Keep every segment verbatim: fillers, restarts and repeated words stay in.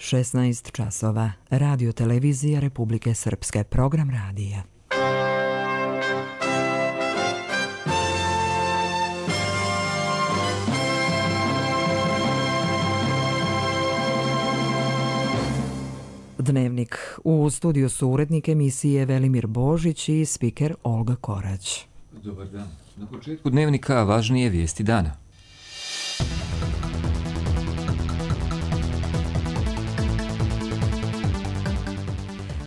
šesnaest časova. Radio televizija Republike Srpske. Program radija. Dnevnik. U studiju su urednik emisije Velimir Božić i spiker Olga Korać. Dobar dan. Na početku dnevnika važnije vijesti dana.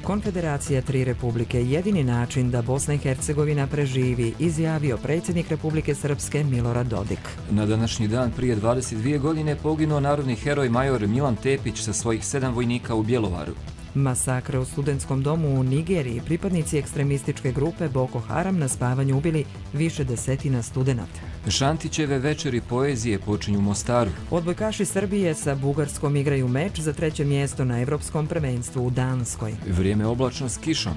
Konfederacija tri republike, jedini način da Bosna i Hercegovina preživi, izjavio predsjednik Republike Srpske Milorad Dodik. Na današnji dan prije dvadeset dvije godine poginuo narodni heroj major Milan Tepić sa svojih sedam vojnika u Bjelovaru. Masakre u studentskom domu u Nigeriji, pripadnici ekstremističke grupe Boko Haram na spavanju ubili više desetina studenata. Šantićeve večeri poezije počinju u Mostaru. Odbojkaši Srbije sa Bugarskom igraju meč za treće mjesto na Evropskom prvenstvu u Danskoj. Vrijeme oblačno s kišom.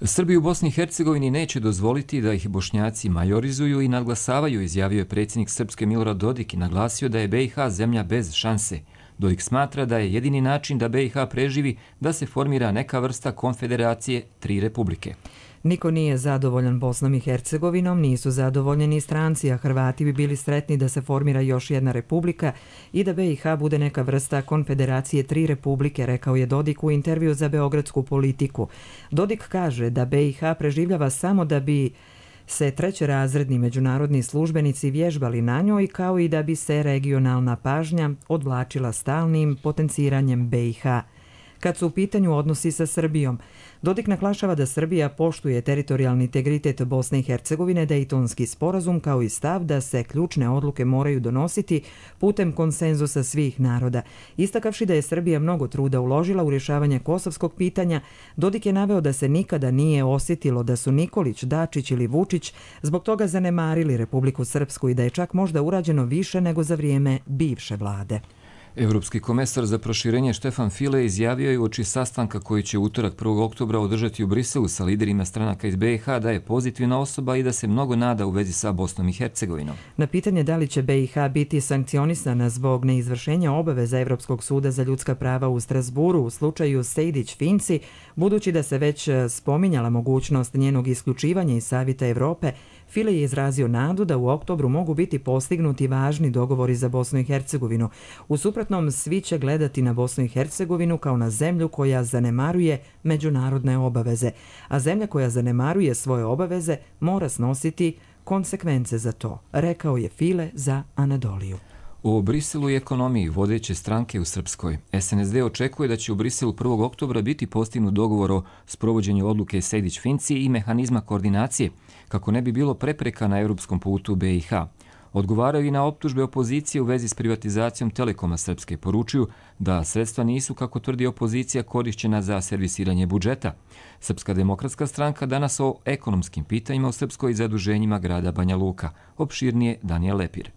Srbi u Bosni i Hercegovini neće dozvoliti da ih Bošnjaci majorizuju i nadglasavaju, izjavio je predsjednik Srpske Milorad Dodik i naglasio da je B i H zemlja bez šanse. Dodik smatra da je jedini način da B i H preživi da se formira neka vrsta konfederacije tri republike. Niko nije zadovoljan Bosnom i Hercegovinom, nisu zadovoljeni stranci, a Hrvati bi bili sretni da se formira još jedna republika i da B i H bude neka vrsta konfederacije tri republike, rekao je Dodik u intervju za Beogradsku Politiku. Dodik kaže da B i H preživljava samo da bi se trećerazredni međunarodni službenici vježbali na njoj, kao i da bi se regionalna pažnja odvlačila stalnim potenciranjem B i H. Kad su u pitanju odnosi sa Srbijom, Dodik naglašava da Srbija poštuje teritorijalni integritet Bosne i Hercegovine, Dejtonski sporazum, kao i stav da se ključne odluke moraju donositi putem konsenzusa svih naroda. Istakavši da je Srbija mnogo truda uložila u rješavanje kosovskog pitanja, Dodik je naveo da se nikada nije osjetilo da su Nikolić, Dačić ili Vučić zbog toga zanemarili Republiku Srpsku i da je čak možda urađeno više nego za vrijeme bivše vlade. Evropski komesar za proširenje Štefan File izjavio je uoči sastanka koji će utorak prvog oktobra održati u Briselu sa liderima stranaka iz B i H da je pozitivna osoba i da se mnogo nada u vezi sa Bosnom i Hercegovinom. Na pitanje da li će B i H biti sankcionisana zbog neizvršenja obaveza Evropskog suda za ljudska prava u Strasburu u slučaju Sejdić-Finci, budući da se već spominjala mogućnost njenog isključivanja iz Savjeta Evrope, File je izrazio nadu da u oktobru mogu biti postignuti važni dogovori za Bosnu i Hercegovinu. U suprotnom, svi će gledati na Bosnu i Hercegovinu kao na zemlju koja zanemaruje međunarodne obaveze, a zemlja koja zanemaruje svoje obaveze mora snositi konsekvence za to, rekao je File za Anadoliju. U Briselu i ekonomiji vodeće stranke u Srpskoj. S N S D očekuje da će u Briselu prvog oktobra biti postignut dogovor o sprovođenju odluke Sejdić-Finci i mehanizma koordinacije, kako ne bi bilo prepreka na europskom putu B i H. Odgovaraju i na optužbe opozicije u vezi s privatizacijom Telekoma Srpske. Poručuju da sredstva nisu, kako tvrdi opozicija, korišćena za servisiranje budžeta. Srpska demokratska stranka danas o ekonomskim pitanjima u Srpskoj i zaduženjima grada Banja Luka. Opširnije Danijel Lepir.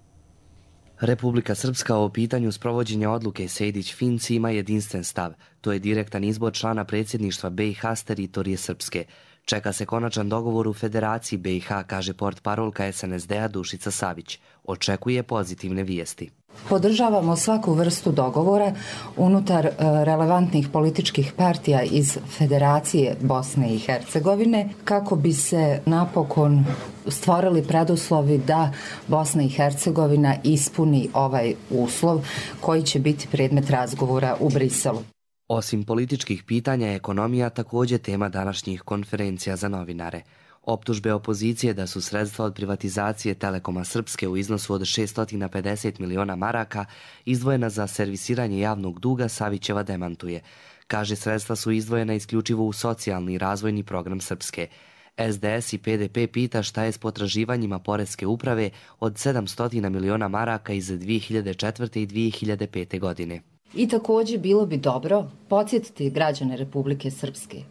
Republika Srpska o pitanju sprovođenja odluke Sejdić-Finci ima jedinstven stav. To je direktan izbor člana predsjedništva B i H s teritorije Srpske. Čeka se konačan dogovor u Federaciji B i H, kaže portparolka S N S D-a Dušica Savić. Očekuje pozitivne vijesti. Podržavamo svaku vrstu dogovora unutar relevantnih političkih partija iz Federacije Bosne i Hercegovine kako bi se napokon stvorili preduslovi da Bosna i Hercegovina ispuni ovaj uslov koji će biti predmet razgovora u Briselu. Osim političkih pitanja, ekonomija također tema današnjih konferencija za novinare. Optužbe opozicije da su sredstva od privatizacije Telekoma Srpske u iznosu od šessto pedeset miliona maraka izdvojena za servisiranje javnog duga Savićeva demantuje. Kaže, sredstva su izdvojena isključivo u socijalni i razvojni program Srpske. S D S i P D P pita šta je s potraživanjima Poreske uprave od sedamsto miliona maraka iz dvije hiljade četvrte. i dvije hiljade pete. godine. I također bilo bi dobro podsjetiti građane Republike Srpske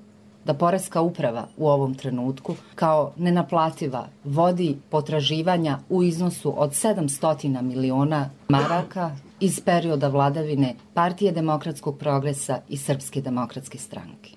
da Poreska uprava u ovom trenutku kao nenaplativa vodi potraživanja u iznosu od sedamsto miliona maraka iz perioda vladavine Partije demokratskog progresa i Srpske demokratske stranke.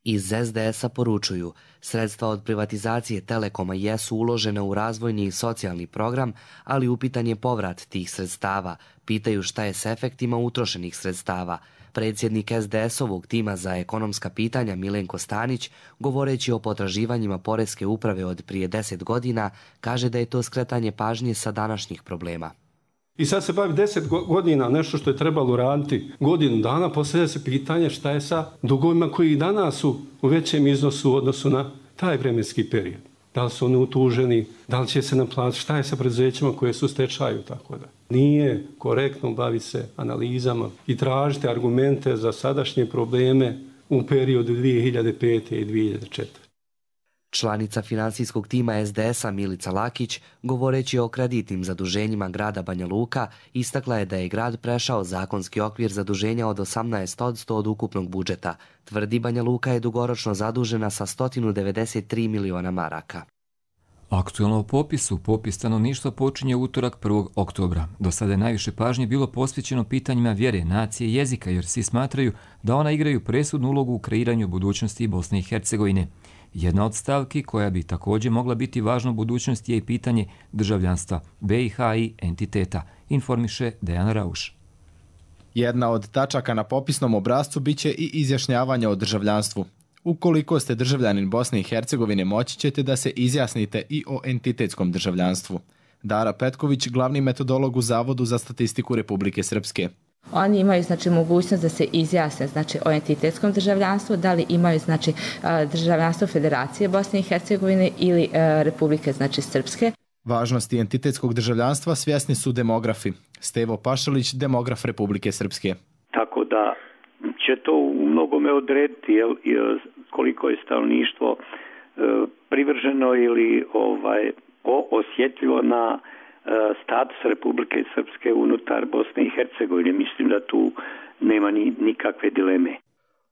Iz es de es a poručuju, sredstva od privatizacije Telekoma jesu uložene u razvojni i socijalni program, ali upitan je povrat tih sredstava. Pitaju šta je s efektima utrošenih sredstava. Predsjednik es de es-ovog tima za ekonomska pitanja Milenko Stanić, govoreći o potraživanjima Poreske uprave od prije deset godina, kaže da je to skretanje pažnje sa današnjih problema. I sad se bavi deset godina, nešto što je trebalo raditi godinu dana, postavlja se pitanje šta je sa dugovima koji i danas su u većem iznosu u odnosu na taj vremenski period. Da li su oni utuženi, da li će se naplatiti, šta je sa preduzećima koje su u stečaju, tako da. Nije korektno baviti se analizama i tražiti argumente za sadašnje probleme u periodu dvije hiljade pete i dvije hiljade četvrte. Članica finansijskog tima es de es a Milica Lakić, govoreći o kreditnim zaduženjima grada Banja Luka, istakla je da je grad prešao zakonski okvir zaduženja od osamnaest posto od ukupnog budžeta. Tvrdi Banja Luka je dugoročno zadužena sa sto devedeset tri miliona maraka. Aktuelno o popisu, popis stanovništva počinje utorak prvog oktobra. Do sada je najviše pažnje bilo posvećeno pitanjima vjere, nacije i jezika, jer svi smatraju da ona igraju presudnu ulogu u kreiranju budućnosti Bosne i Hercegovine. Jedna od stavki koja bi također mogla biti važna u budućnosti je i pitanje državljanstva be i ha i entiteta, informiše Dejan Rauš. Jedna od tačaka na popisnom obrascu biće i izjašnjavanje o državljanstvu. Ukoliko ste državljanin Bosne i Hercegovine, moći ćete da se izjasnite i o entitetskom državljanstvu. Dara Petković, glavni metodolog u Zavodu za statistiku Republike Srpske. Oni imaju znači mogućnost da se izjasne znači o entitetskom državljanstvu, da li imaju znači državljanstvo Federacije Bosne i Hercegovine ili Republike znači Srpske. Važnosti entitetskog državljanstva svjesni su demografi. Stevo Pašalić, demograf Republike Srpske. Tako da će to u mnogome odrediti jel, koliko je stanovništvo e, privrženo ili ovaj osjetljivo na e, status Republike Srpske unutar Bosne i Hercegovine. Mislim da tu nema ni, nikakve dileme.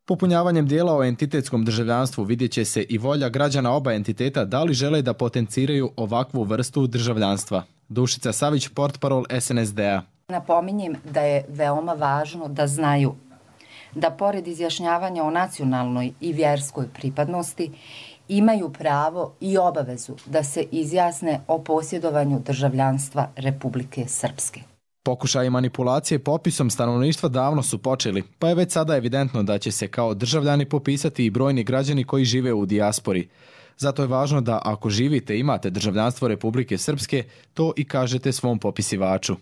Popunjavanjem dijela o entitetskom državljanstvu vidjet će se i volja građana oba entiteta da li žele da potenciraju ovakvu vrstu državljanstva. Dušica Savić, portparol es en es de a. Napominjem da je veoma važno da znaju da pored izjašnjavanja o nacionalnoj i vjerskoj pripadnosti imaju pravo i obavezu da se izjasne o posjedovanju državljanstva Republike Srpske. Pokušaji manipulacije popisom stanovništva davno su počeli, pa je već sada evidentno da će se kao državljani popisati i brojni građani koji žive u dijaspori. Zato je važno da ako živite i imate državljanstvo Republike Srpske, to i kažete svom popisivaču.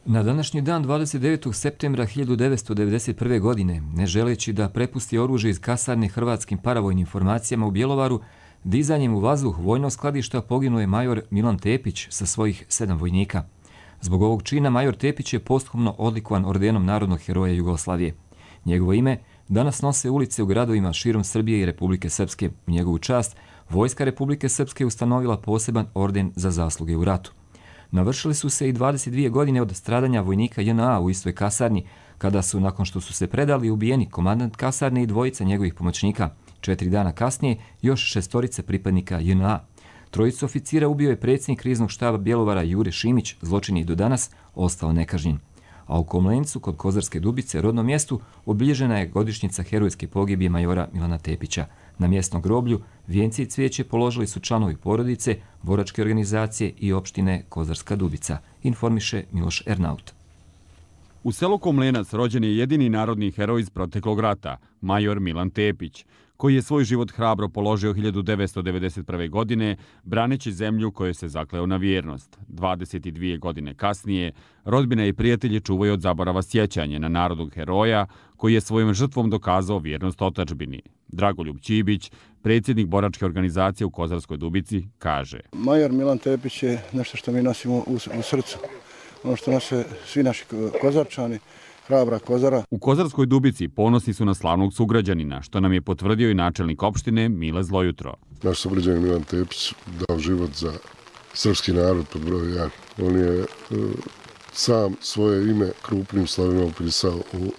Na današnji dan dvadeset devetog septembra hiljadu devetsto devedeset prve. godine, ne želeći da prepusti oružje iz kasarne hrvatskim paravojnim formacijama u Bjelovaru, dizanjem u vazduh vojnog skladišta poginuo je major Milan Tepić sa svojih sedam vojnika. Zbog ovog čina major Tepić je posthumno odlikovan ordenom Narodnog heroja Jugoslavije. Njegovo ime danas nose ulice u gradovima širom Srbije i Republike Srpske. U njegovu čast Vojska Republike Srpske ustanovila poseban orden za zasluge u ratu. Navršili su se i dvadeset dvije godine od stradanja vojnika je en a u istoj kasarni, kada su, nakon što su se predali, ubijeni komandant kasarne i dvojica njegovih pomoćnika. Četiri dana kasnije još šestorice pripadnika je en a. Trojicu oficira ubio je predsjednik kriznog štaba Bjelovara Jure Šimić, zločin je do danas ostao nekažnjen. A u Komlencu, kod Kozarske Dubice, rodnom mjestu, obilježena je godišnjica herojske pogibije majora Milana Tepića. Na mjesnom groblju vijenci i cvijeće položili su članovi porodice, boračke organizacije i opštine Kozarska Dubica, informiše Miloš Ernaut. U selu Komlenac rođen je jedini narodni heroj iz proteklog rata, major Milan Tepić, koji je svoj život hrabro položio hiljadu devetsto devedeset prve. godine, braneći zemlju kojoj se zakleo na vjernost. dvadeset dvije godine kasnije, rodbina i prijatelji čuvaju od zaborava sjećanje na narodnog heroja, koji je svojom žrtvom dokazao vjernost otadžbini. Dragoljub Ćibić, predsjednik boračke organizacije u Kozarskoj Dubici, kaže: Major Milan Tepić je nešto što mi nosimo u, u srcu. Ono što nose svi naši Kozarčani, hrabra Kozara. U Kozarskoj Dubici ponosni su na slavnog sugrađanina, što nam je potvrdio i načelnik opštine Mile Zlojutro. Naš sugrađanin Milan Tepić dao život za srpski narod pod broj jedan. On je e, sam svoje ime krupnim slovima upisao u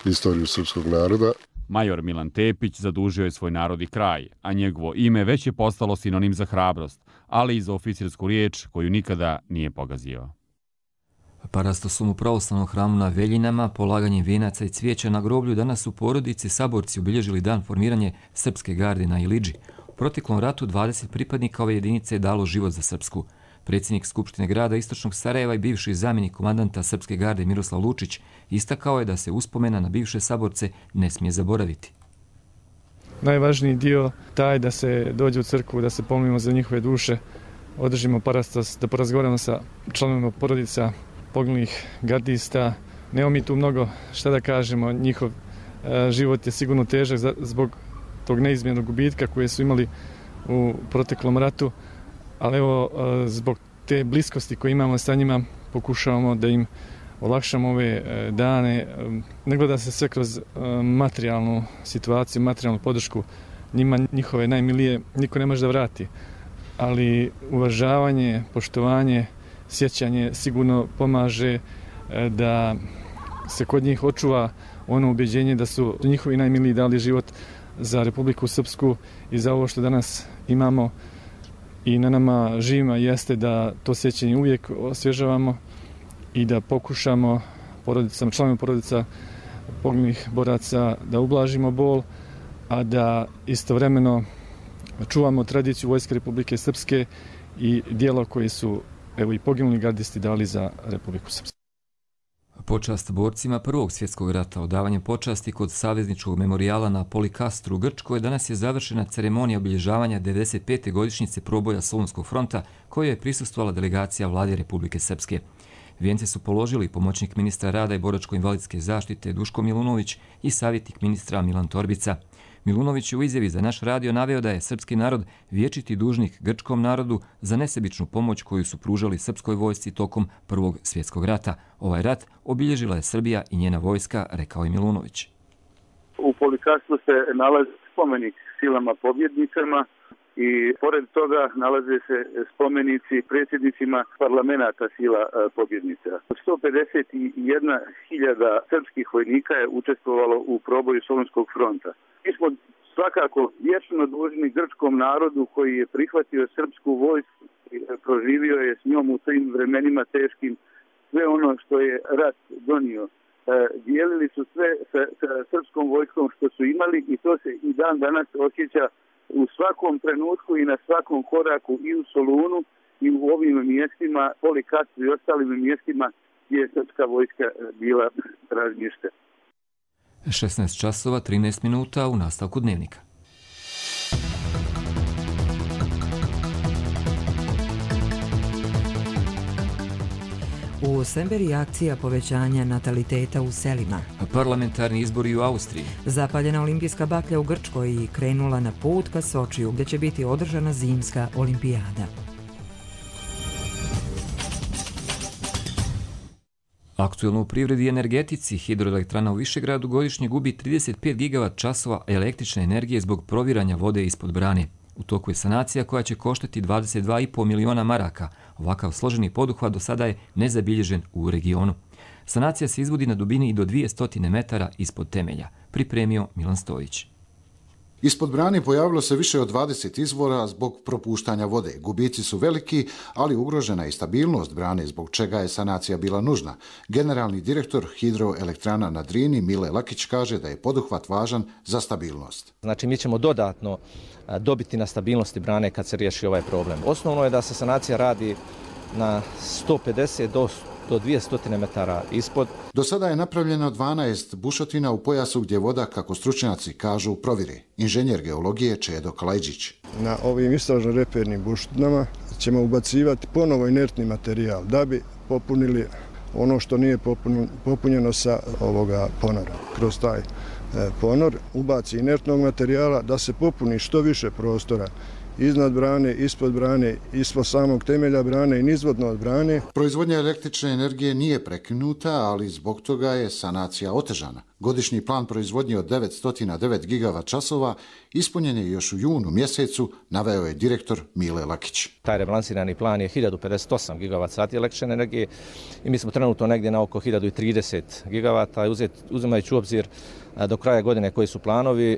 istoriju srpskog naroda. Major Milan Tepić zadužio je svoj narod i kraj, a njegovo ime već je postalo sinonim za hrabrost, ali i za oficirsku riječ koju nikada nije pogazio. Parastosom u pravoslavnom hramu na Veljinama, polaganjem vijenaca i cvijeća na groblju, danas su porodice saborci obilježili dan formiranja Srpske garde na Ilidži. U proteklom ratu dvadeset pripadnika ove jedinice je dalo život za Srpsku. Predsjednik Skupštine grada Istočnog Sarajeva i bivši zamjenik komandanta Srpske garde Miroslav Lučić istakao je da se uspomena na bivše saborce ne smije zaboraviti. Najvažniji dio taj da se dođe u crkvu, da se pomolimo za njihove duše, održimo parastos, da porazgovaramo sa članovima porodica poginulih gardista. Nemo mi tu mnogo šta da kažemo, njihov e, život je sigurno težak za, zbog tog neizmjernog gubitka koje su imali u proteklom ratu, ali evo e, zbog te bliskosti koje imamo sa njima pokušavamo da im olakšamo ove e, dane. E, ne gleda se sve kroz e, materijalnu situaciju, materijalnu podršku. Njima njihove najmilije niko ne može da vrati, ali uvažavanje, poštovanje, sjećanje sigurno pomaže da se kod njih očuva ono ubjeđenje da su njihovi najmiliji dali život za Republiku Srpsku i za ovo što danas imamo i na nama živima jeste da to sjećanje uvijek osvježavamo i da pokušamo porodicama, članovima porodica poginulih boraca da ublažimo bol, a da istovremeno čuvamo tradiciju Vojske Republike Srpske i dijelo koje su evo i poginuli gardisti dali za Republiku Srpsku. Počast borcima Prvog svjetskog rata, odavanje počasti kod savezničkog memorijala na Polikastru u Grčkoj, danas je završena ceremonija obilježavanja devedeset pete godišnjice proboja Solunskog fronta, kojoj je prisustvovala delegacija Vlade Republike Srpske. Vijence su položili pomoćnik ministra rada i boračko-invalidske zaštite Duško Milunović i savjetnik ministra Milan Torbica. Milunović je u izjavi za naš radio naveo da je srpski narod vječiti dužnik grčkom narodu za nesebičnu pomoć koju su pružali srpskoj vojsci tokom Prvog svjetskog rata. Ovaj rat obilježila je Srbija i njena vojska, rekao je Milunović. U Polikastru se nalazi spomenik silama pobjednicama i pored toga nalaze se spomenici predsjednicima parlamenta sila pobjednica. sto pedeset jedna hiljada srpskih vojnika je učestvovalo u proboju Solunskog fronta. Mi smo svakako vječno dužni grčkom narodu koji je prihvatio srpsku vojsku i proživio je s njom u tim vremenima teškim sve ono što je rat donio. Dijelili su sve sa, sa srpskom vojskom što su imali i to se i dan danas osjeća u svakom trenutku i na svakom koraku i u Solunu i u ovim mjestima, Polikastru i ostalim mjestima gdje je srpska vojska bila razmještena. šesnaest časova trinaest minuta u nastavku dnevnika. U Semberiji akcija povećanja nataliteta u selima. Parlamentarni izbori u Austriji. Zapaljena olimpijska baklja u Grčkoj i krenula na put ka Sočiju, gdje će biti održana zimska olimpijada. Aktuelno u privredi i energetici, hidroelektrana u Višegradu godišnje gubi trideset pet gigavat časova električne energije zbog proviranja vode ispod brane. U toku je sanacija koja će koštati dvadeset dva i po miliona maraka. Ovakav složeni poduhvat do sada je nezabilježen u regionu. Sanacija se izvodi na dubini i do dvjesto metara ispod temelja. Pripremio Milan Stojić. Ispod brane pojavilo se više od dvadeset izvora zbog propuštanja vode. Gubici su veliki, ali ugrožena je i stabilnost brane, zbog čega je sanacija bila nužna. Generalni direktor hidroelektrana na Drini, Mile Lakić, kaže da je poduhvat važan za stabilnost. Znači, mi ćemo dodatno dobiti na stabilnosti brane kad se riješi ovaj problem. Osnovno je da se sanacija radi na sto pedeset do dvjesto metara ispod. Do sada je napravljeno dvanaest bušotina u pojasu gdje voda, kako stručnjaci kažu, provire. Inženjer geologije Čedo Kalajđić. Na ovim istražno-repernim bušotinama ćemo ubacivati ponovo inertni materijal da bi popunili ono što nije popunjeno sa ovoga ponora. Kroz taj ponor ubaci inertnog materijala da se popuni što više prostora iznad brane, ispod brane, ispod samog temelja brane i nizvodno od brane. Proizvodnja električne energije nije prekinuta, ali zbog toga je sanacija otežana, Godišnji plan proizvodnje od devetsto devet gigavat časova ispunjen je još u junu mjesecu, naveo je direktor Mile Lakić. Taj rebalansirani plan je hiljadu pedeset osam gigavat sati električne energije i mi smo trenutno negdje na oko hiljadu trideset gigavata. Uzimajući u obzir do kraja godine koji su planovi,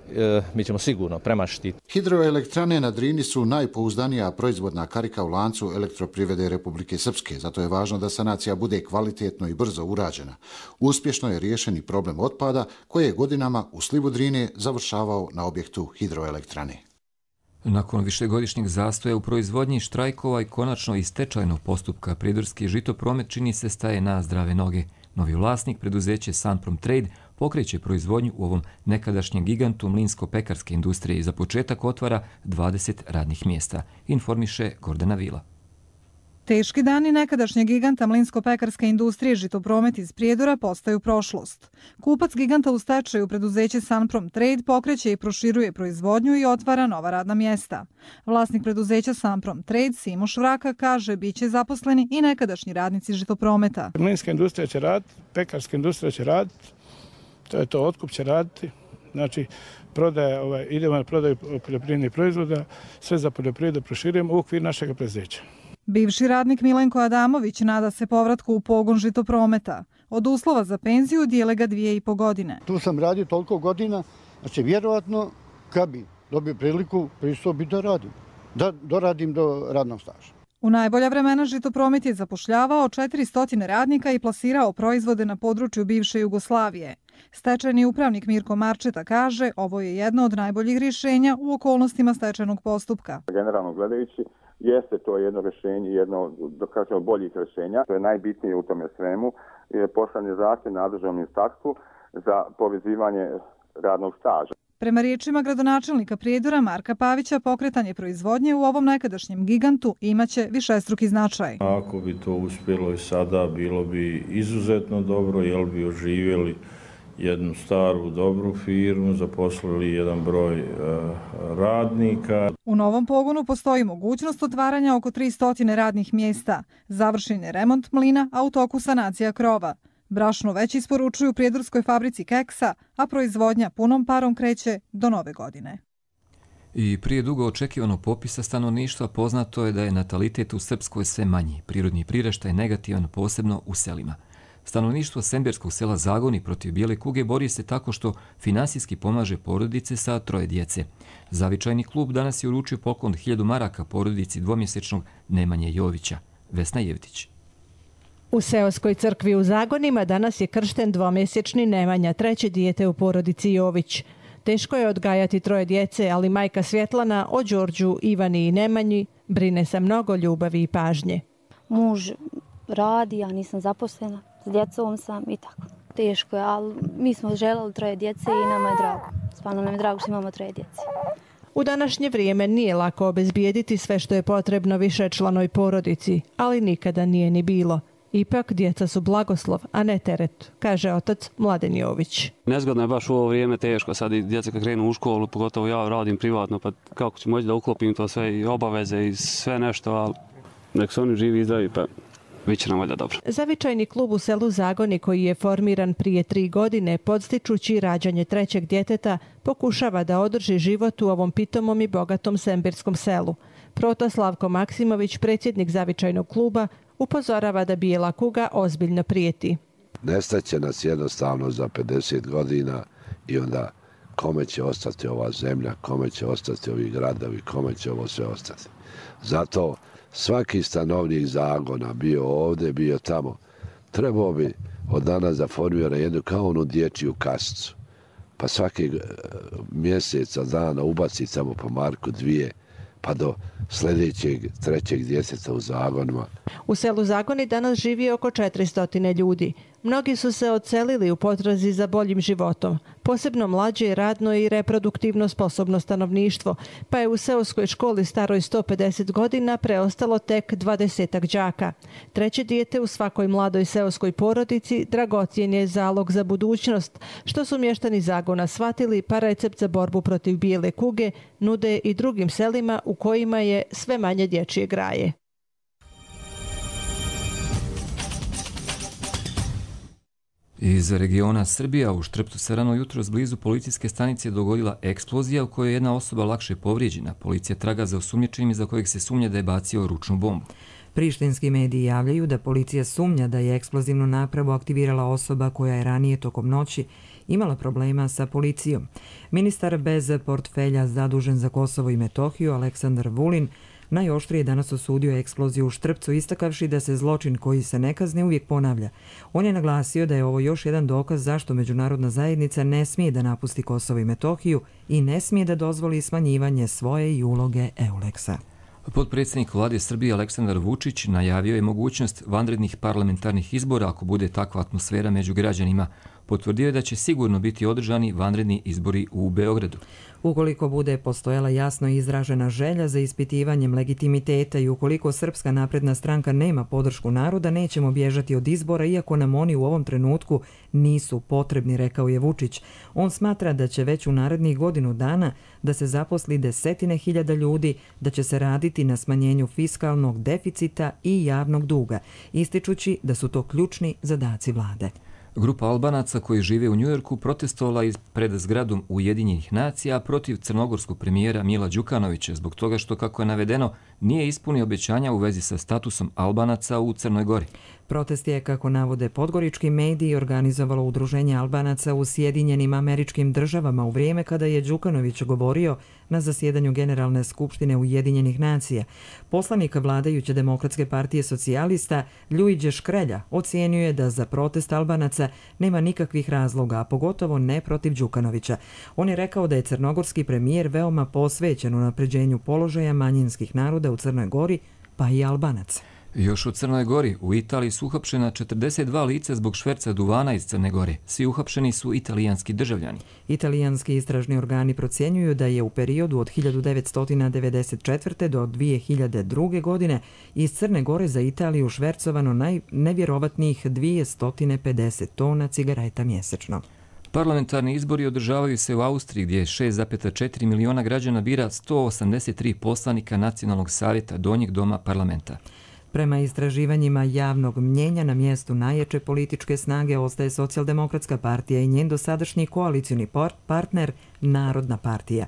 mi ćemo sigurno premašiti. Hidroelektrane na Drini su najpouzdanija proizvodna karika u lancu elektroprivrede Republike Srpske, zato je važno da sanacija bude kvalitetno i brzo urađena. Uspješno je riješen i problem otpada koji je godinama u slivu Drine završavao na objektu hidroelektrane. Nakon višegodišnjeg zastoja u proizvodnji, štrajkova i konačno i stečajnog postupka, Prijedorski žitopromet čini se staje na zdrave noge. Novi vlasnik, preduzeće Sunprom Trade, pokreće proizvodnju u ovom nekadašnjem gigantu mlinsko-pekarske industrije i za početak otvara dvadeset radnih mjesta, informiše Gordana Vila. Teški dani nekadašnjeg giganta mlinsko-pekarske industrije Žitopromet iz Prijedora postaju prošlost. Kupac giganta u stečaju, preduzeće Sunprom Trade, pokreće i proširuje proizvodnju i otvara nova radna mjesta. Vlasnik preduzeća Sunprom Trade, Simo Švraka, kaže biće zaposleni i nekadašnji radnici Žitoprometa. Mlinska industrija će raditi, pekarska industrija će raditi, to je to, otkup će raditi. Znači, prodaje, ovaj, idemo na prodaju poljoprivrednih proizvoda, sve za poljoprivredu proširujemo u okvir našeg preduzeća. Bivši radnik Milenko Adamović nada se povratku u pogon Žitoprometa. Od uslova za penziju dijele ga dvije i po godine. Tu sam radio toliko godina, znači vjerovatno kad bi dobio priliku pristao bi da radim, da doradim do radnog staža. U najbolja vremena Žitopromet je zapošljavao četiristo radnika i plasirao proizvode na području bivše Jugoslavije. Stečajni upravnik Mirko Marčeta kaže ovo je jedno od najboljih rješenja u okolnostima stečajnog postupka. Generalno gledajući, jeste to jedno rješenje, jedno da kažemo boljih rješenja. To je najbitnije u tome svemu. Poslan je zahtjev nadležnom ministarstvu za povezivanje radnog staža. Prema riječima gradonačelnika Prijedora Marka Pavića, pokretanje proizvodnje u ovom nekadašnjem gigantu imaće višestruki značaj. Ako bi to uspjelo i sada, bilo bi izuzetno dobro, jer bi oživjeli jednu staru, dobru firmu, zaposlili jedan broj uh, radnika. U novom pogonu postoji mogućnost otvaranja oko tristo radnih mjesta. Završen je remont mlina, a u toku sanacija krova. Brašno već isporučuju prijedorskoj fabrici keksa, a proizvodnja punom parom kreće do nove godine. I prije dugo očekivanog popisa stanovništva poznato je da je natalitet u Srpskoj sve manji. Prirodni priraštaj je negativan, posebno u selima. Stanovništvo semberskog sela Zagoni protiv bijele kuge bori se tako što finansijski pomaže porodice sa troje djece. Zavičajni klub danas je uručio poklon hiljadu maraka porodici dvomjesečnog Nemanje Jovića. Vesna Jevtić. U seoskoj crkvi u Zagonima danas je kršten dvomjesečni Nemanja, treće dijete u porodici Jović. Teško je odgajati troje djece, ali majka Svjetlana o Đorđu, Ivani i Nemanji brine sa mnogo ljubavi i pažnje. Muž radi, ja nisam zaposlena, s djecom sam i tako. Teško je, ali mi smo želeli troje djece i nama je drago. Stvarno nam je drago što imamo troje djece. U današnje vrijeme nije lako obezbijediti sve što je potrebno višečlanoj porodici, ali nikada nije ni bilo. Ipak djeca su blagoslov, a ne teret, kaže otac Mladen Jović. Nezgodno je baš u ovo vrijeme, teško. Sad i djeca kad krenu u školu, pogotovo ja radim privatno, pa kako ću moći da uklopim to sve i obaveze i sve nešto, ali nek su oni živi i zdravi, pa bit će nam valjda dobro. Zavičajni klub u selu Zagoni, koji je formiran prije tri godine, podstičući rađanje trećeg djeteta, pokušava da održi život u ovom pitomom i bogatom semberskom selu. Proto Slavko Maksimović, predsjednik Zavičajnog kluba, upozorava da bijela kuga ozbiljno prijeti. Nestaće nas jednostavno za pedeset godina i onda kome će ostati ova zemlja, kome će ostati ovi gradovi, kome će ovo sve ostati. Zato svaki stanovnik Zagona, bio ovdje, bio tamo, trebao bi od danas da formira jednu kao onu dječju kasicu. Pa svaki mjeseca dana ubaci samo po marku dvije, pa do sljedećeg trećeg djeteta u Zagonima. U selu Zagoni danas živi oko četiristo ljudi. Mnogi su se odselili u potrazi za boljim životom, posebno mlađe, radno i reproduktivno sposobno stanovništvo, pa je u seoskoj školi staroj sto pedeset godina preostalo tek dvadesetak đaka. Treće dijete u svakoj mladoj seoskoj porodici dragocjen je zalog za budućnost, što su mještani Zagona shvatili, pa recept za borbu protiv bijele kuge nude i drugim selima u kojima je sve manje dječje graje. Iz regiona Srbija u Štrpcu se rano jutros blizu policijske stanice dogodila eksplozija u kojoj je jedna osoba lakše povrijeđena. Policija traga za osumnjičenim za kojeg se sumnja da je bacio ručnu bombu. Prištinski mediji javljaju da policija sumnja da je eksplozivnu napravu aktivirala osoba koja je ranije tokom noći imala problema sa policijom. Ministar bez portfelja zadužen za Kosovo i Metohiju Aleksandar Vulin najoštrije danas osudio eksploziju u Štrpcu, istakavši da se zločin koji se ne kazni uvijek ponavlja. On je naglasio da je ovo još jedan dokaz zašto međunarodna zajednica ne smije da napusti Kosovo i Metohiju i ne smije da dozvoli smanjivanje svoje i uloge Euleksa. Potpredsjednik vlade Srbije Aleksandar Vučić najavio je mogućnost vanrednih parlamentarnih izbora ako bude takva atmosfera među građanima. Potvrdio je da će sigurno biti održani vanredni izbori u Beogradu. Ukoliko bude postojala jasno izražena želja za ispitivanjem legitimiteta i ukoliko Srpska napredna stranka nema podršku naroda, nećemo bježati od izbora, iako nam oni u ovom trenutku nisu potrebni, rekao je Vučić. On smatra da će već u narednih godinu dana da se zaposli desetine hiljada ljudi, da će se raditi na smanjenju fiskalnog deficita i javnog duga, ističući da su to ključni zadaci vlade. Grupa Albanaca koji žive u Njujorku protestovala pred zgradom Ujedinjenih nacija protiv crnogorskog premijera Mila Đukanovića zbog toga što, kako je navedeno, nije ispunio obećanja u vezi sa statusom Albanaca u Crnoj Gori. Protest je, kako navode podgorički mediji, organizovalo Udruženje Albanaca u Sjedinjenim Američkim Državama u vrijeme kada je Đukanović govorio na zasjedanju Generalne skupštine Ujedinjenih nacija. Poslanik vladajuće Demokratske partije socijalista Ljuiđe Škrelja ocijenio je da za protest Albanaca nema nikakvih razloga, a pogotovo ne protiv Đukanovića. On je rekao da je crnogorski premijer veoma posvećen unapređenju položaja manjinskih naroda u Crnoj Gori, pa i Albanaca. Još u Crnoj Gori, u Italiji su uhapšena četrdeset dva lica zbog šverca duvana iz Crne Gore. Svi uhapšeni su italijanski državljani. Italijanski istražni organi procjenjuju da je u periodu od hiljadu devetsto devedeset četvrte. do dvije hiljade druge. godine iz Crne Gore za Italiju švercovano najnevjerovatnijih dvjesto pedeset tona cigareta mjesečno. Parlamentarni izbori održavaju se u Austriji gdje šest zarez četiri miliona građana bira sto osamdeset tri poslanika Nacionalnog savjeta Donjeg doma parlamenta. Prema istraživanjima javnog mnjenja na mjestu najjače političke snage ostaje Socijaldemokratska partija i njen dosadašnji koalicioni partner Narodna partija.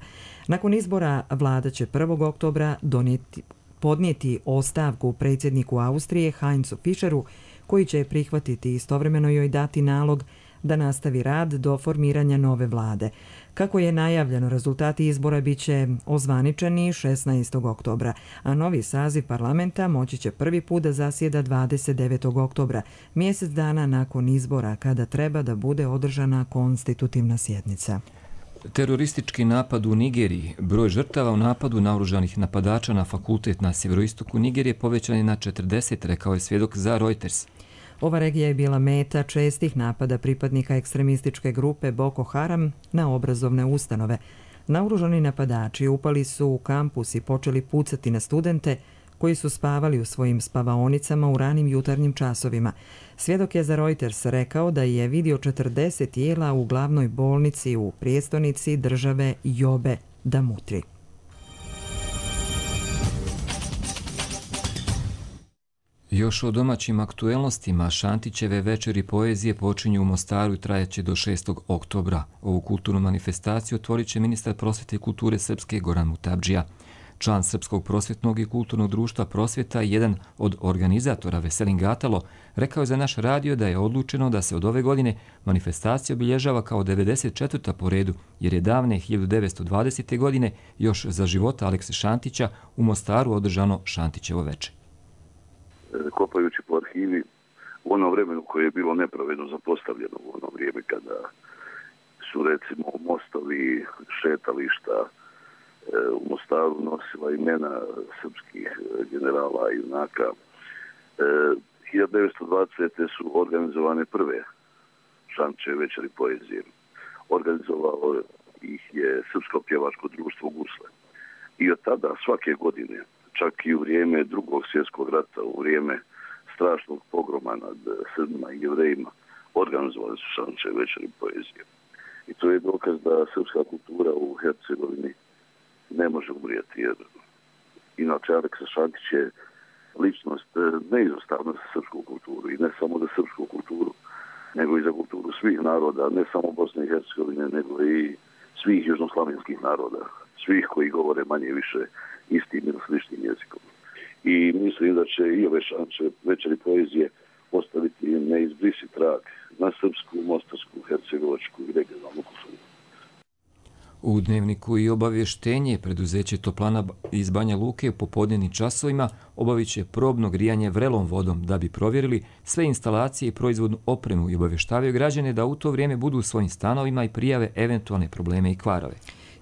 Nakon izbora vlada će prvog oktobra donijeti, podnijeti ostavku predsjedniku Austrije Heinzu Fischeru, koji će prihvatiti istovremeno joj dati nalog da nastavi rad do formiranja nove vlade. Kako je najavljeno, rezultati izbora bit će ozvaničeni šesnaestog oktobra, a novi saziv parlamenta moći će prvi put da zasjeda dvadeset devetog oktobra, mjesec dana nakon izbora, kada treba da bude održana konstitutivna sjednica. Teroristički napad u Nigeriji. Broj žrtava u napadu naoružanih napadača na fakultet na sjeveroistoku Nigerije povećan je na četrdeset, rekao je svjedok za Reuters. Ova regija je bila meta čestih napada pripadnika ekstremističke grupe Boko Haram na obrazovne ustanove. Naoružani napadači upali su u kampus i počeli pucati na studente koji su spavali u svojim spavaonicama u ranim jutarnjim časovima. Svjedok je za Reuters rekao da je vidio četrdeset tijela u glavnoj bolnici u prijestolnici države Jobe Damutri. Još o domaćim aktuelnostima, Šantićeve večeri poezije počinju u Mostaru i trajaće do šestog oktobra. Ovu kulturnu manifestaciju otvorit će ministar prosvjete i kulture Srpske Goran Mutabdžija. Član Srpskog prosvjetnog i kulturnog društva Prosvjeta i jedan od organizatora Veselin Gatalo rekao je za naš radio da je odlučeno da se od ove godine manifestacija obilježava kao devedeset četvrta po redu, jer je davne hiljadu devetsto dvadesete. godine još za života Alekse Šantića u Mostaru održano Šantićevo veče. Kopajući po arhivi u onom vremenu koje je bilo nepravedno zapostavljeno, u ono vrijeme kada su recimo mostovi, šetališta u Mostaru nosila imena srpskih generala i junaka. hiljadu devetsto dvadesete. su organizovane prve Šantićeve večeri poezije. Organizovalo ih je Srpsko pjevačko društvo Gusle. I od tada svake godine, čak i u vrijeme drugog svjetskog rata, u vrijeme strašnog pogroma nad Srbima i Jevrejima, organizovali su Šantićeve večeri poezije. I to je dokaz da srpska kultura u Hercegovini ne može umrijeti, jer inače Aleksa Šantić je ličnost neizostavna za srpsku kulturu, i ne samo za srpsku kulturu, nego i za kulturu svih naroda, ne samo Bosne i Hercegovine, nego i svih južnoslavenskih naroda, svih koji govore manje više istim ili sličnim jezikom. I mislim da će i ove šanče večeri poezije ostaviti neizbrisiv trag na srpsku, mostarsku, hercegovačku i regionalnu kulturu. U Dnevniku i obavještenje preduzeće Toplana iz Banja Luke u popodnevnim časovima obavit će probno grijanje vrelom vodom da bi provjerili sve instalacije i proizvodnu opremu i obavještavaju građane da u to vrijeme budu u svojim stanovima i prijave eventualne probleme i kvarove.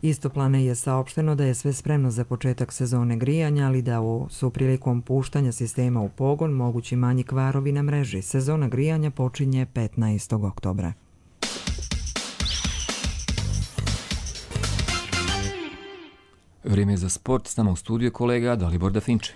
Iz Toplane je saopšteno da je sve spremno za početak sezone grijanja, ali da su prilikom puštanja sistema u pogon mogući manji kvarovi na mreži. Sezona grijanja počinje petnaestog oktobra. Vrijeme za sport, s nama u studiju kolega Dalibor Dafinče.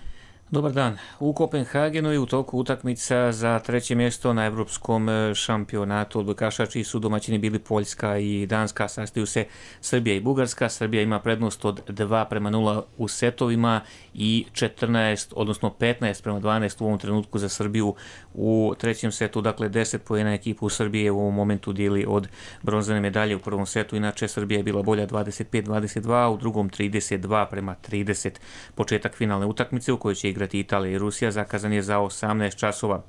Dobar dan. U Kopenhagenu je u toku utakmica za treće mjesto na Evropskom šampionatu odbojkaša, čiji su domaćini bili Poljska i Danska. Sastaju se Srbija i Bugarska. Srbija ima prednost od dva prema nula u setovima i četrnaest, odnosno petnaest prema dvanaest u ovom trenutku za Srbiju u trećem setu. Dakle, deset poena ekipu Srbije u ovom momentu dijeli od bronzane medalje u prvom setu. Inače, Srbija je bila bolja dvadeset pet dvadeset dva, u drugom trideset dva prema trideset. Početak finalne utakmice u kojoj će igrati Italija i Rusija zakazan je za osamnaest časova.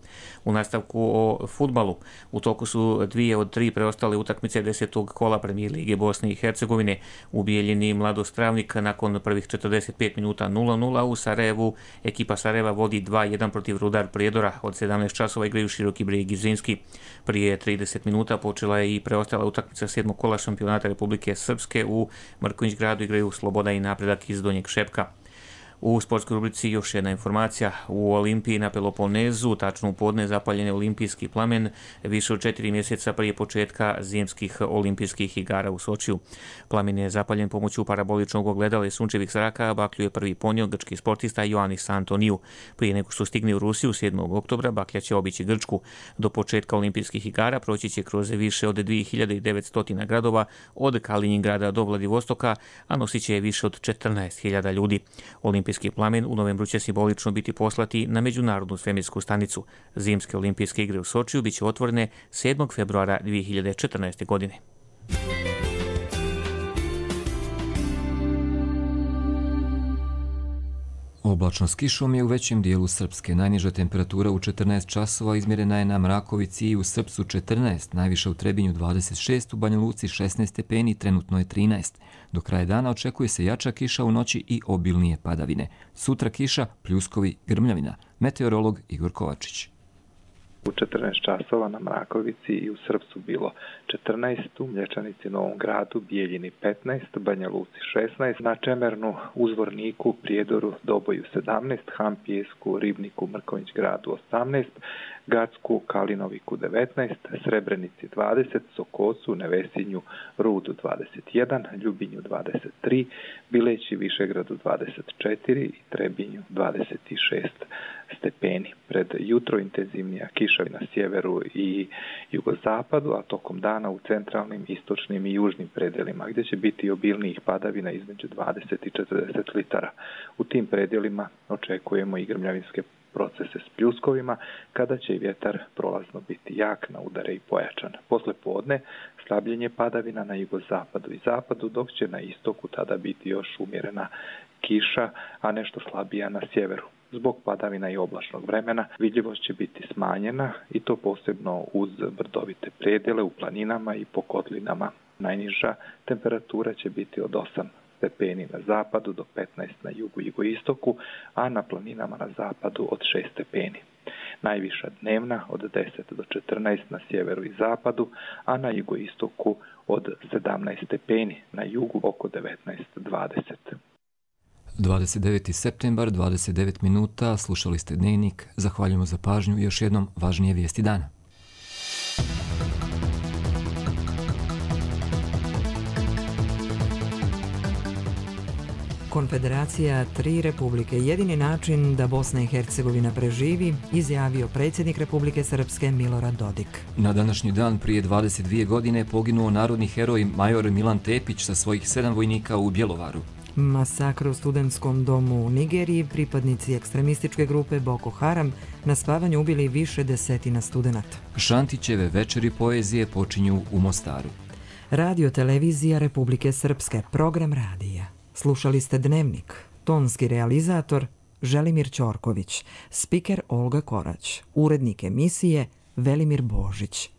U nastavku o fudbalu u toku su dvije od tri preostale utakmice desetog kola Premijer lige Bosne i Hercegovine. U Bijeljini Mladost Travnik nakon prvih četrdeset pet minuta nula nula. U Sarajevu ekipa Sarajeva vodi dva jedan protiv Rudar Prijedora. Od sedamnaest časova igraju Široki Brijeg i Zrinski. Prije trideset minuta počela je i preostala utakmica sedmog kola šampionata Republike Srpske. U Mrkonjić gradu igraju Sloboda i Napredak iz Donjeg Šepka. U sportskoj rubrici još jedna informacija. U Olimpiji na Peloponezu, tačno u podne, zapaljen je olimpijski plamen više od četiri mjeseca prije početka zimskih olimpijskih igara u Sočiju. Plamen je zapaljen pomoću paraboličnog ogledala i sunčevih zraka, baklju je prvi ponio grčki sportista Ioannis Antoniju. Prije nego što stigne u Rusiju sedmog oktobra, baklja će obići Grčku. Do početka olimpijskih igara proći će kroz više od dvije hiljade devetsto gradova, od Kaliningrada do Vladivostoka, a nosit će je više od četrnaest hiljada ljudi. Olimpijski plamen u novembru će simbolično biti poslati na Međunarodnu svemirsku stanicu. Zimske olimpijske igre u Sočiju biće otvorene sedmog februara dvije hiljade četrnaeste. godine. Oblačno s kišom je u većem dijelu Srpske. Najniža temperatura u četrnaest časova izmjerena je na Mrakovici i u Srpsu četrnaest, najviša u Trebinju dvadeset šest, u Banja Luci šesnaest stepeni, trenutno je trinaest. Do kraja dana očekuje se jača kiša u noći i obilnije padavine. Sutra kiša, pljuskovi, grmljavina. Meteorolog Igor Kovačić. U četrnaest časova na Mrakovici i u Srpsu bilo četrnaest, u Mlječanici, Novom Gradu, Bijeljini petnaest, Banja Luci šesnaest, na Čemernu, Uzvorniku, Prijedoru, Doboju sedamnaest, Hampijesku, Ribniku, Mrkonjić gradu osamnaest, Gacku, Kalinoviku devetnaest, Srebrenici dvadeset, Sokocu, Nevesinju, Rudu dvadeset jedan, Ljubinju dvadeset tri, Bileći, Višegradu dvadeset četiri i Trebinju dvadeset šest stepeni. Pred jutro intenzivnija kiša na sjeveru i jugozapadu, a tokom dana u centralnim, istočnim i južnim predelima, gdje će biti obilnijih padavina između dvadeset i četrdeset litara. U tim predelima očekujemo i grmljavinske procese s pljuskovima, kada će i vjetar prolazno biti jak, na udare i pojačan. Posle podne slabljenje padavina na jugozapadu i zapadu, dok će na istoku tada biti još umjerena kiša, a nešto slabija na sjeveru. Zbog padavina i oblačnog vremena vidljivost će biti smanjena i to posebno uz brdovite predjele u planinama i po kotlinama. Najniža temperatura će biti od osam stepeni na zapadu do petnaest na jugu i jugoistoku, a na planinama na zapadu od šest stepeni. Najviša dnevna od deset do četrnaest na sjeveru i zapadu, a na jugoistoku od sedamnaest stepeni, na jugu oko devetnaest dvadeset. dvadeset deveti septembar, dvadeset devet minuta, slušali ste Dnevnik. Zahvaljujemo za pažnju i još jednom važnije vijesti dana. Konfederacija tri republike, jedini način da Bosna i Hercegovina preživi, izjavio predsjednik Republike Srpske Milorad Dodik. Na današnji dan prije dvadeset dvije godine poginuo narodni heroj major Milan Tepić sa svojih sedam vojnika u Bjelovaru. Masakr u studentskom domu u Nigeriji, pripadnici ekstremističke grupe Boko Haram na spavanju ubili više desetina studenata. Šantićeve večeri poezije počinju u Mostaru. Radio televizija Republike Srpske, program radija. Slušali ste Dnevnik, tonski realizator Želimir Ćorković, spiker Olga Korać, urednik emisije Velimir Božić.